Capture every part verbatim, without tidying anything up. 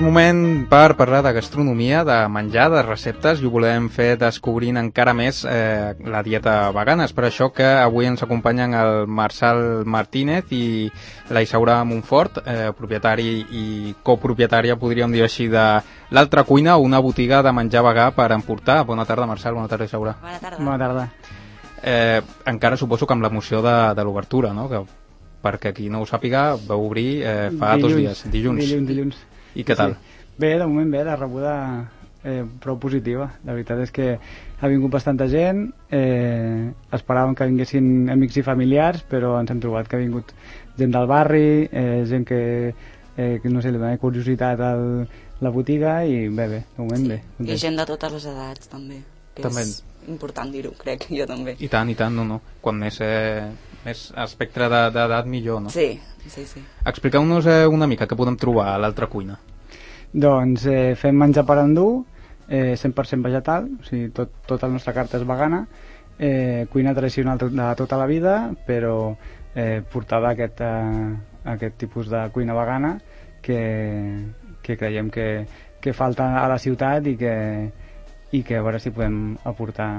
moment per parlar de gastronomia, de menjar, de receptes, i ho volem fer descobrint encara més eh, la dieta vegana. És per això que avui ens acompanyen el Marçal Martínez i la Isaura Montfort, eh, propietari i copropietària, podríem dir així, de l'Altra Cuina, una botiga de menjar vegà per emportar. Bona tarda, Marçal, bona tarda, Isaura. Bona tarda. Bona tarda. Eh, encara suposo que amb l'emoció de, de l'obertura, no? Que, perquè qui no ho sàpiga, vau obrir eh, fa dilluns, dos dies, dilluns. Dilluns, dilluns. I què tal? Sí. Bé, de moment bé, la rebuda eh, prou positiva. La veritat és que ha vingut bastanta gent, eh, esperàvem que vinguessin amics i familiars, però ens hem trobat que ha vingut gent del barri, eh, gent que, eh, que no sé, li dona curiositat a la botiga, i bé, bé, de moment sí. bé. Content. I gent de totes les edats, també. Que també. És important dir-ho, crec, jo també. I tant, i tant, no, no. Quan més, eh, més espectre d'edat, millor, no? Sí, sí, sí. Expliqueu-nos eh, una mica què podem trobar a l'Altra Cuina. Doncs eh, fem menjar per endur, eh, cent per cent vegetal, o sigui, tot, tota la nostra carta és vegana, eh, cuina tradicional de tota la vida, però eh, portada a aquest, a aquest tipus de cuina vegana que, que creiem que, que falta a la ciutat i que, i que a veure si podem aportar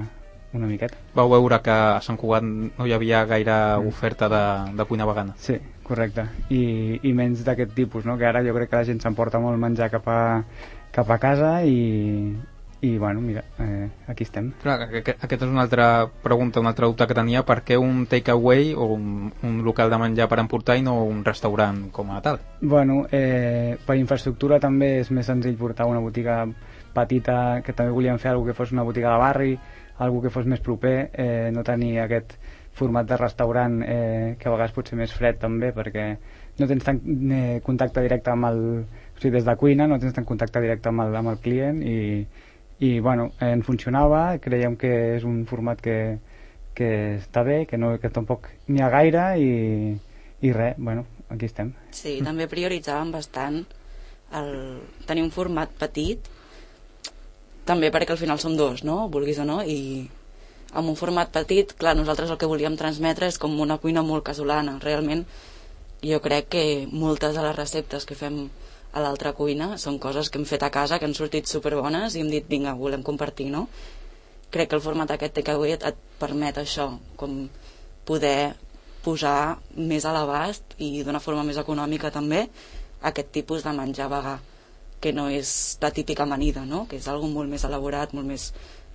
una miqueta. Vau veure que a Sant Cugat no hi havia gaire oferta de, de cuina vegana. Sí, correcte. I, i menys d'aquest tipus, no? Que ara jo crec que la gent s'emporta molt menjar cap a, cap a casa i, i bueno, mira, eh, aquí estem. Clar, aquesta és una altra pregunta, una altra dubte que tenia. Per què un takeaway o un, un local de menjar per emportar i no un restaurant com a tal? Bueno, eh, per infraestructura també és més senzill portar una botiga petita, que també volíem fer alguna que fos una botiga de barri, algo que fos més proper, eh, no tenir aquest format de restaurant eh, que a vegades pot ser més fred també, perquè no tens tant eh, contacte directe amb el... O sigui, des de cuina no tens tant contacte directe amb el, amb el client i, i bueno, eh, en funcionava, creiem que és un format que, que està bé, que, no, que tampoc n'hi ha gaire i, i res, bueno, aquí estem. Sí, també prioritzàvem bastant el tenir un format petit, també perquè al final som dos, no? Vulguis o no, i amb un format petit, clar, nosaltres el que volíem transmetre és com una cuina molt casolana. Realment jo crec que moltes de les receptes que fem a l'Altra Cuina són coses que hem fet a casa, que han sortit superbones i hem dit, vinga, volem compartir, no? Crec que el format aquest takeaway et, et permet això, com poder posar més a l'abast i d'una forma més econòmica també aquest tipus de menjar vegà, que no és la típica amanida, no? Que és algo molt més elaborat, molt més,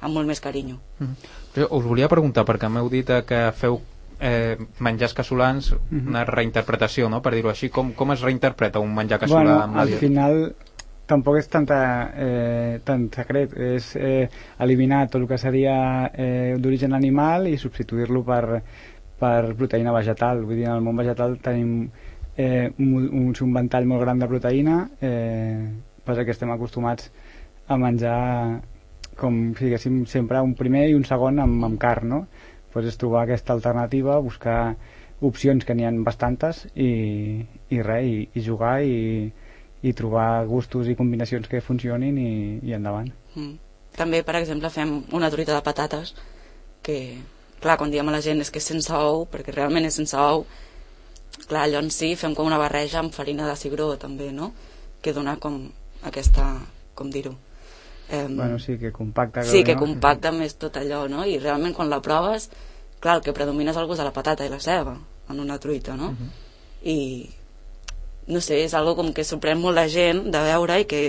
amb molt més carinyo. Mm-hmm. Us volia preguntar, perquè m'heu dit que feu eh, menjars casolans, mm-hmm. una reinterpretació, no? Per dir-ho així, com, com es reinterpreta un menjar casolà? Bueno, al final tampoc és tanta, eh, tant secret, és eh, eliminar tot el que seria eh, d'origen animal i substituir-lo per, per proteïna vegetal. Vull dir, en el món vegetal tenim eh, un, un, un ventall molt gran de proteïna, eh, passa que estem acostumats a menjar com si diguéssim sempre un primer i un segon amb, amb carn, no? Pues és trobar aquesta alternativa, buscar opcions que n'hi ha bastantes i, i res, i, i jugar i, i trobar gustos i combinacions que funcionin i, i endavant. Mm. També, per exemple, fem una truita de patates que, clar, quan diem a la gent és que és sense ou, perquè realment és sense ou, clar, allò en si fem com una barreja amb farina de cigró també, no? Que dona com aquesta, com dir-ho, eh, bueno, sí, que compacta, sí, que no? compacta més tot allò, no? I realment quan la proves, clar, el que predomina és el gust de la patata i la ceba en una truita, no? Uh-huh. I no sé, és algo com que sorprèn molt la gent de veure i que,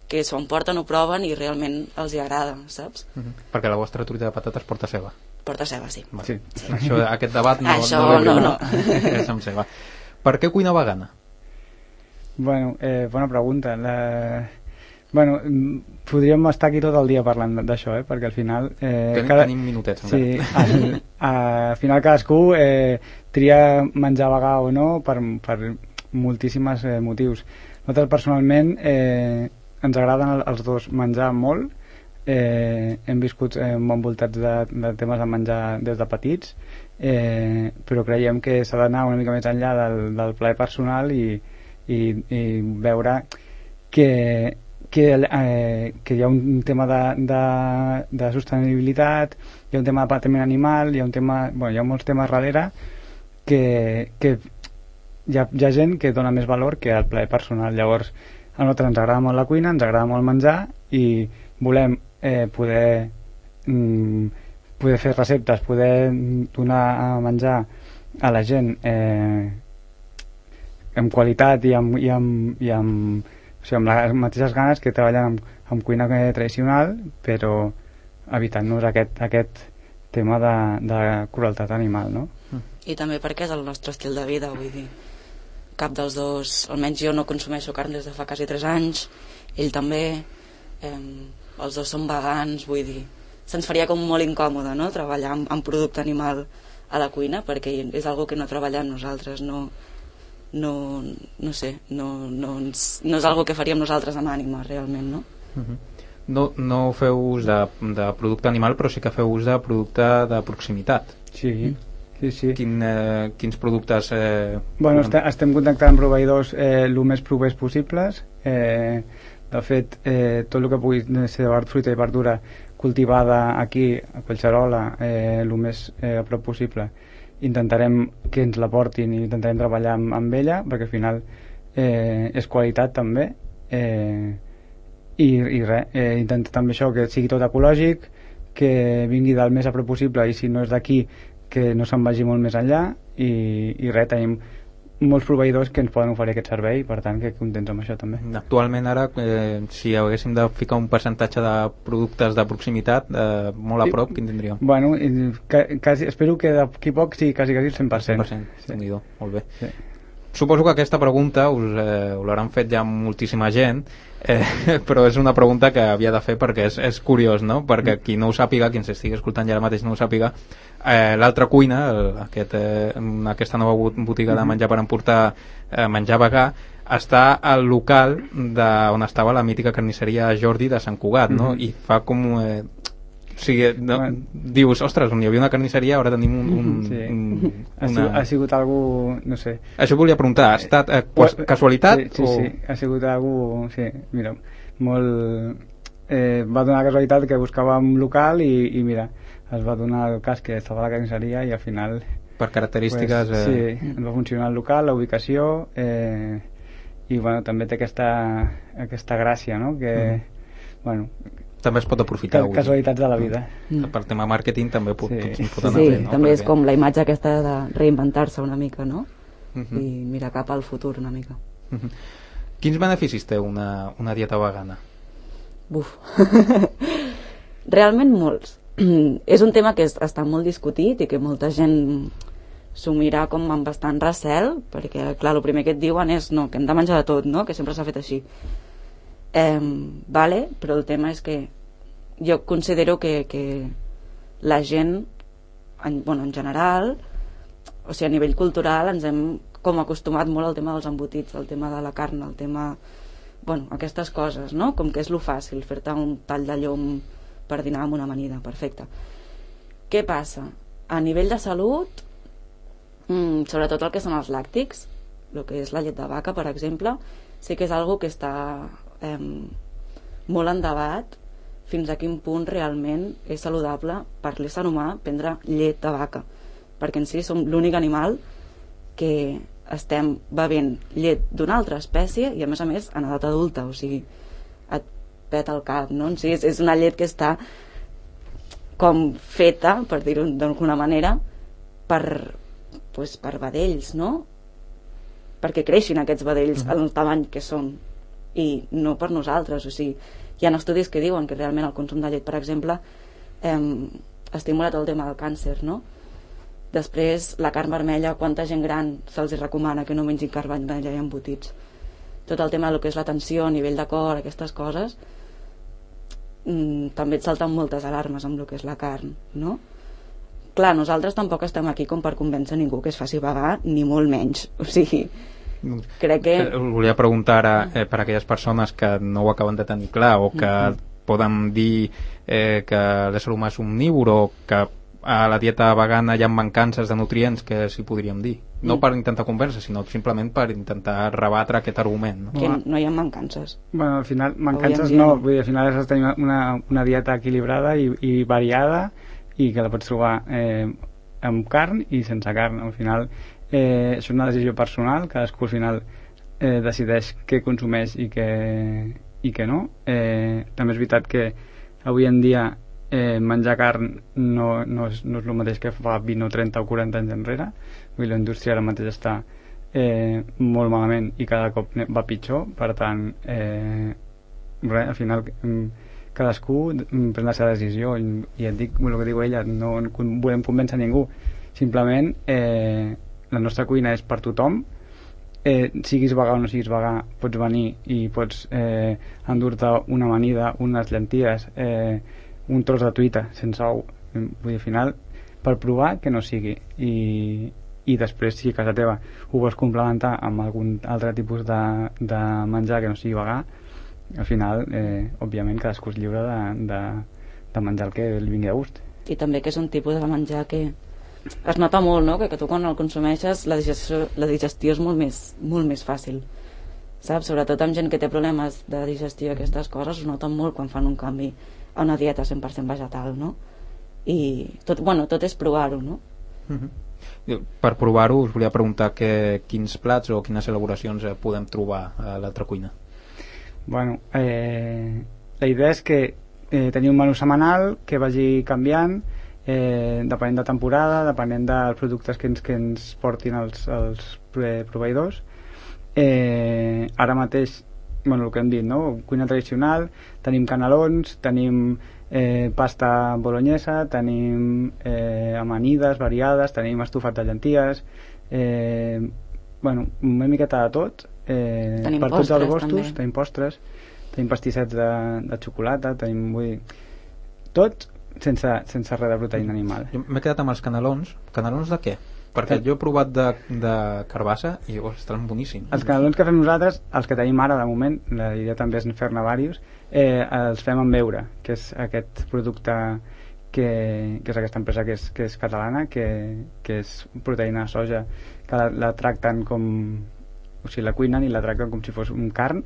que s'ho emporten, ho proven i realment els hi agrada, saps? Uh-huh. Perquè la vostra truita de patates porta ceba. Porta ceba, sí. Sí. Sí. Això, aquest debat no, Això, no, no, no. És amb ceba. Per què cuina vegana? Bueno, eh, bona pregunta. La... Bueno, podríem estar aquí tot el dia parlant d'això, eh? Perquè al final... Eh, tenim, cada... tenim minutets. Sí, al, al final cadascú eh, tria menjar vegà o no per, per moltíssims eh, motius. Nosaltres personalment eh, ens agraden els dos menjar molt, eh, hem viscut eh, envoltats de, de temes de menjar des de petits, eh, però creiem que s'ha d'anar una mica més enllà del, del plaer personal i, i, i veure que Que, eh, que hi ha un tema de, de, de sostenibilitat, hi ha un tema de patiment animal, hi ha un tema, bueno, hi ha molts temes darrere que, que hi, ha, hi ha gent que dona més valor que al plaer personal. Llavors a nosaltres ens agrada molt la cuina, ens agrada molt menjar i volem eh, poder mm, poder fer receptes, poder donar a menjar a la gent eh, amb qualitat i amb, i amb, i amb, o sigui, amb les mateixes ganes que treballen amb, amb cuina tradicional, però evitant-nos aquest, aquest tema de, de crueltat animal, no? I també perquè és el nostre estil de vida, vull dir, cap dels dos, almenys jo no consumeixo carn des de fa quasi tres anys, ell també, eh, els dos són vegans, vull dir, se'ns faria com molt incòmode, no?, treballar amb, amb producte animal a la cuina, perquè és algo que no treballem nosaltres, no, no, no sé, no, no, ens, no és algo que faríem nosaltres amb ànima, realment, no? Uh-huh. No, no feu ús de, de producte animal, però sí que feu ús de producte de proximitat. Sí, sí, sí. Quin, eh, quins productes... Eh, bueno, estem, estem contactant amb proveïdors eh, el més propers possibles. Eh, de fet, eh, tot el que pugui ser de fruita i verdura cultivada aquí, a Collserola, eh, el més eh, a prop possible, intentarem que ens la portin i intentarem treballar amb, amb ella, perquè al final eh, és qualitat també. Eh, i, i res, eh, intentar també això, que sigui tot ecològic, que vingui del més a prop possible, i si no és d'aquí, que no se'n vagi molt més enllà, i, i res, tenim molts proveïdors que ens poden oferir aquest servei, per tant que contents amb això també. Actualment ara, eh, si haguéssim de ficar un percentatge de productes de proximitat eh, molt a prop, quin tindríem? Bueno, quasi, espero que d'aquí poc sigui quasi, quasi el cent per cent. cent per cent, sí. Déu-n'hi-do, molt bé. Sí. Suposo que aquesta pregunta us, eh, us l'hauran fet ja moltíssima gent, eh, però és una pregunta que havia de fer perquè és, és curiós, no? Perquè qui no ho sàpiga, qui ens estigui escoltant ja ara mateix no ho sàpiga, eh, l'altra cuina, el, aquest, eh, aquesta nova botiga de menjar per emportar eh, menjar vegà, està al local de, on estava la mítica carnisseria Jordi de Sant Cugat, no? I fa com... Eh, o sigui, no, bueno. Dius, ostres, on hi havia una carnisseria, ara tenim un... un, sí. un ha, una... sigut, ha sigut algú, no sé... Això volia preguntar, ha estat eh, casualitat? Sí, sí, o... sí, ha sigut algú, sí, mira, molt... Eh, va donar la casualitat que buscava un local i, i mira, es va donar el cas que estava a la carnisseria i al final... Per característiques... Pues, eh... Sí, va funcionar el local, la ubicació, eh, i bueno, també té aquesta, aquesta gràcia, no?, que, mm. bueno... També es pot aprofitar. Casualitats de la vida. Mm. Per tema màrqueting també pot, sí. tots pot anar sí, bé, no? també Perquè... és com la imatge aquesta de reinventar-se una mica, no? Uh -huh. I mirar cap al futur una mica. Uh -huh. Quins beneficis té una, una dieta vegana? Buf. Realment molts. És un tema que és, està molt discutit i que molta gent s'ho mira com amb bastant recel, perquè clar, el primer que et diuen és no, que hem de menjar de tot, no? Que sempre s'ha fet així. Eh, vale, però el tema és que jo considero que, que la gent en, bueno, en general, o sigui, a nivell cultural ens hem com acostumat molt al tema dels embotits, al tema de la carn, al tema, bueno, aquestes coses, no? Com que és lo fàcil, fer-te un tall de llom per dinar amb una amanida, perfecte. Què passa? A nivell de salut, mmm, sobretot el que són els làctics, el que és la llet de vaca, per exemple, sí que és algo que està eh, molt en debat fins a quin punt realment és saludable per l'ésser humà prendre llet de vaca, perquè en si som l'únic animal que estem bevent llet d'una altra espècie i a més a més en edat adulta, o sigui, et peta el cap, no? En si és, és una llet que està com feta, per dir-ho d'alguna manera, per, pues, per vedells, no? Perquè creixin aquests vedells mm-hmm. al tamany que són i no per nosaltres, o sigui, hi ha estudis que diuen que realment el consum de llet, per exemple, eh, estimula tot el tema del càncer, no? Després, la carn vermella, quanta gent gran se'ls recomana que no mengin carn vermella i embotits? Tot el tema del que és la tensió a nivell de cor, aquestes coses, mmm, també et salten moltes alarmes amb el que és la carn, no? Clar, nosaltres tampoc estem aquí com per convèncer ningú que es faci vegà, ni molt menys, o sigui, crec que... Us volia preguntar ara, eh, per a aquelles persones que no ho acaben de tenir clar o que mm-hmm. poden dir eh, que l'ésser humà és omnívor o que a la dieta vegana hi ha mancances de nutrients, que s'hi podríem dir, no mm. per intentar convèncer, sinó simplement per intentar rebatre aquest argument, no? Que no hi ha mancances. Bueno, al final, mancances no, vull dir, al final has de tenir una, una dieta equilibrada i, i variada i que la pots trobar eh, amb carn i sense carn. Al final eh, és una decisió personal, cadascú al final eh, decideix què consumeix i què, i què no. Eh, també és veritat que avui en dia eh, menjar carn no, no, és, no és el mateix que fa vint o trenta o quaranta anys enrere. Vull dir, la indústria ara mateix està eh, molt malament i cada cop va pitjor, per tant eh, res, al final cadascú pren la seva decisió i, i et dic el que diu ella, no volem convèncer ningú, simplement eh, la nostra cuina és per tothom, eh, siguis vegà o no siguis vegà, pots venir i pots eh, endur-te una amanida, unes llenties, eh, un tros de truita sense ou, vull dir, al final per provar que no sigui, i, i després si a casa teva ho vols complementar amb algun altre tipus de, de menjar que no sigui vegà, al final eh, òbviament cadascú és lliure de, de, de menjar el que li vingui de gust. I també que és un tipus de menjar que es nota molt, no? que, que tu quan el consumeixes la digestió, la digestió és molt més, molt més fàcil, saps? Sobretot amb gent que té problemes de digestió i aquestes coses, es nota molt quan fan un canvi a una dieta cent per cent vegetal, no? I tot, bueno, tot és provar-ho, no? Uh-huh. Per provar-ho us volia preguntar que, quins plats o quines elaboracions eh, podem trobar a l'altra cuina. Bueno, eh, la idea és que eh, tenir un menú setmanal que vagi canviant eh, depenent de temporada, depenent dels productes que ens, que ens portin els, els proveïdors. Eh, ara mateix, bueno, el que hem dit, no? Cuina tradicional, tenim canelons, tenim eh, pasta bolognesa, tenim eh, amanides variades, tenim estofat de llenties, eh, bueno, una miqueta de tot. Eh, tenim per tots els gustos, també. tenim postres, tenim pastissets de, de xocolata, tenim, vull dir, tot sense, sense res de proteïna animal. Jo m'he quedat amb els canelons. Canelons de què? Perquè jo he provat de, de carbassa i oh, estan boníssims. Els canelons que fem nosaltres, els que tenim ara de moment, la idea també és fer-ne diversos, eh, els fem amb beure, que és aquest producte que, que és aquesta empresa que és, que és catalana, que, que és proteïna de soja, que la, la tracten com, o sigui, la cuinen i la tracten com si fos un carn,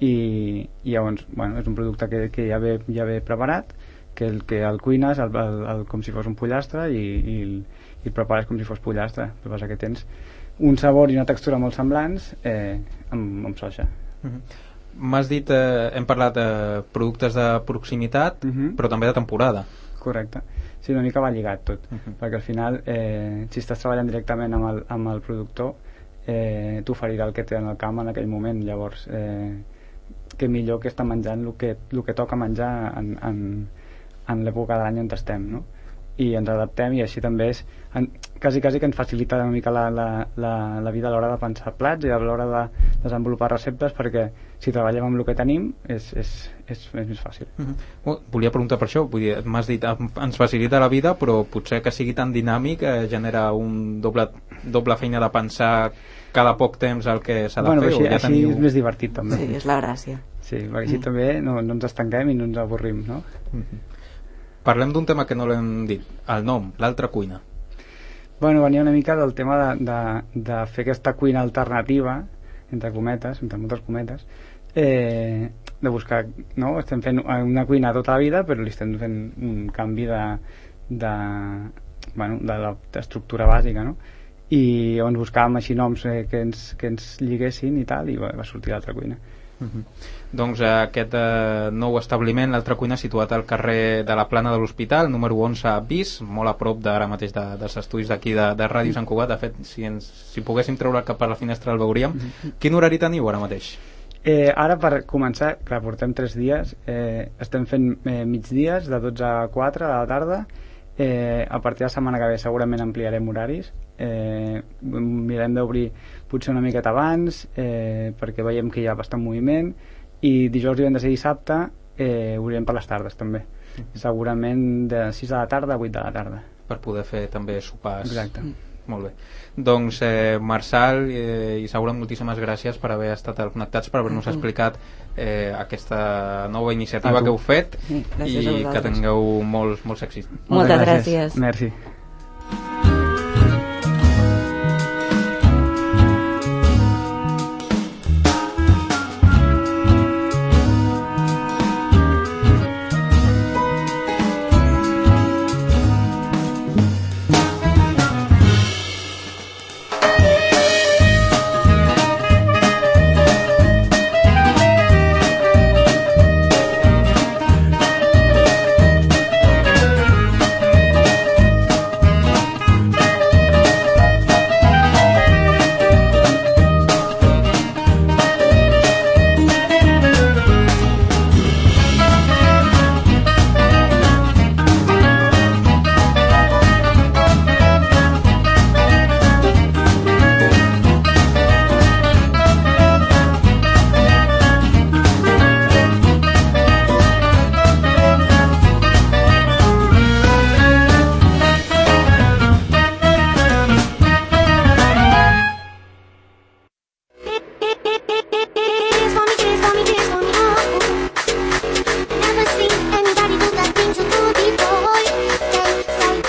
i, i llavors, bueno, és un producte que, que ja, ve, ja ve preparat, que el que el cuines el, el, el, com si fos un pollastre i, i, el, i el prepares com si fos pollastre. El que passa que tens un sabor i una textura molt semblants eh, amb, amb soja. Uh-huh. M'has dit, eh, hem parlat de productes de proximitat, uh-huh. però també de temporada. Correcte. Sí, una mica va lligat tot, uh-huh. perquè al final eh, si estàs treballant directament amb el, amb el productor eh, t'oferirà el que té en el camp en aquell moment, llavors eh, que millor que estar menjant el que, el que toca menjar en, en, en l'època de l'any on estem, no? I ens adaptem, i així també és en, quasi, quasi que ens facilita una mica la, la, la, la vida a l'hora de pensar plats i a l'hora de desenvolupar receptes, perquè si treballem amb el que tenim és, és, és, és més fàcil. Uh-huh. Volia preguntar per això, vull dir, m'has dit ens facilita la vida, però potser que sigui tan dinàmic eh, genera un doble, doble feina de pensar cada poc temps el que s'ha de bueno, fer. Així, o ja així teniu... és més divertit també. Sí, és la gràcia. Sí, perquè així mm. també no, no ens estanquem i no ens avorrim, no? Uh-huh. Parlem d'un tema que no l'hem dit, el nom, l'altra cuina. Bueno, venia una mica del tema de, de, de fer aquesta cuina alternativa, entre cometes, entre moltes cometes, eh, de buscar, no? Estem fent una cuina tota la vida, però li estem fent un canvi de, de, bueno, de l'estructura bàsica, no? I on buscàvem així noms eh, que, ens, que ens lliguessin i tal, i va, va sortir l'altra cuina. Uh-huh. Doncs eh, aquest eh, nou establiment, l'altra cuina, situat al carrer de la Plana de l'Hospital, número onze bis, molt a prop d'ara mateix de, dels estudis d'aquí de, de Ràdio Sant Cugat. De fet, si, ens, si poguéssim treure cap per la finestra el veuríem. Uh-huh. Quin horari teniu ara mateix? Eh, ara, per començar, clar, portem tres dies, eh, estem fent eh, migdies de dotze a quatre de la tarda. Eh, a partir de la setmana que ve segurament ampliarem horaris, eh, mirem d'obrir potser una miqueta abans, eh, perquè veiem que hi ha bastant moviment, i dijous, divendres i dissabte eh, obrirem per les tardes també, mm. segurament de sis de la tarda a vuit de la tarda, per poder fer també sopars. Exacte. Molt bé. Doncs eh, Marçal eh, i Saura, moltíssimes gràcies per haver estat al Connectats, per haver-nos explicat eh, aquesta nova iniciativa que heu fet, i que tingueu molts, molts èxits. Moltes gràcies. Merci.